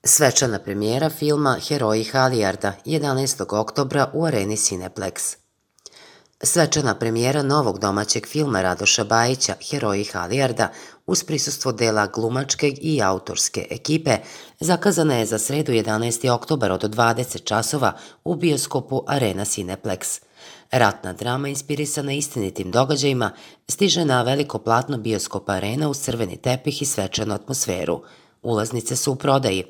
Svečana premijera filma Heroji Halijarda 11. oktobra u areni Cineplex. Svečana premijera novog domaćeg filma Radoša Bajića Heroji Halijarda uz prisustvo dela glumačke i autorske ekipe zakazana je za sredu 11. oktobar od 20 časova u bioskopu Arena Cineplex. Ratna drama inspirisana istinitim događajima stiže na veliko platno bioskopa Arena uz crveni tepih i svečanu atmosferu. Ulaznice su u prodaji.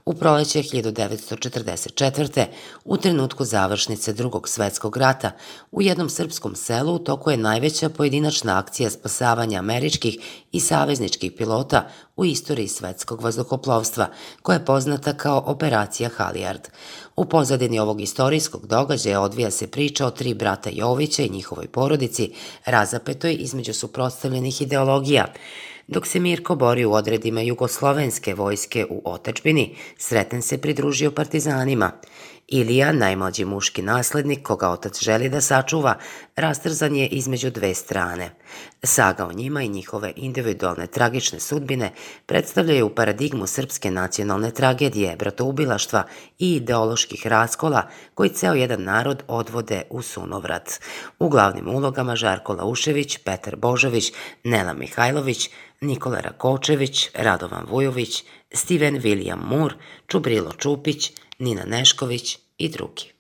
U proleće 1944. u trenutku završnice Drugog svetskog rata u jednom srpskom selu u toku je najveća pojedinačna akcija spasavanja američkih i savezničkih pilota u istoriji svetskog vazduhoplovstva, koja je poznata kao Operacija Halijard. U pozadini ovog istorijskog događaja odvija se priča o 3 brata Jovića i njihovoj porodici, razapetoj između suprotstavljenih ideologija. Dok se Mirko bori u odredima jugoslovenske vojske u otadžbini, Sreten se pridružio partizanima. Ilija, najmlađi muški naslednik koga otac želi da sačuva, rastrzan je između dve strane. Saga o njima i njihove individualne tragične sudbine predstavljaju paradigmu srpske nacionalne tragedije, bratoubilaštva i ideoloških raskola koji ceo jedan narod odvode u sunovrat. U glavnim ulogama Žarko Laušević, Petar Božović, Nela Mihajlović, Nikola Rakočević, Radovan Vujović, Steven William Moore, Čubrilo Čupić, Nina Nešković i drugi.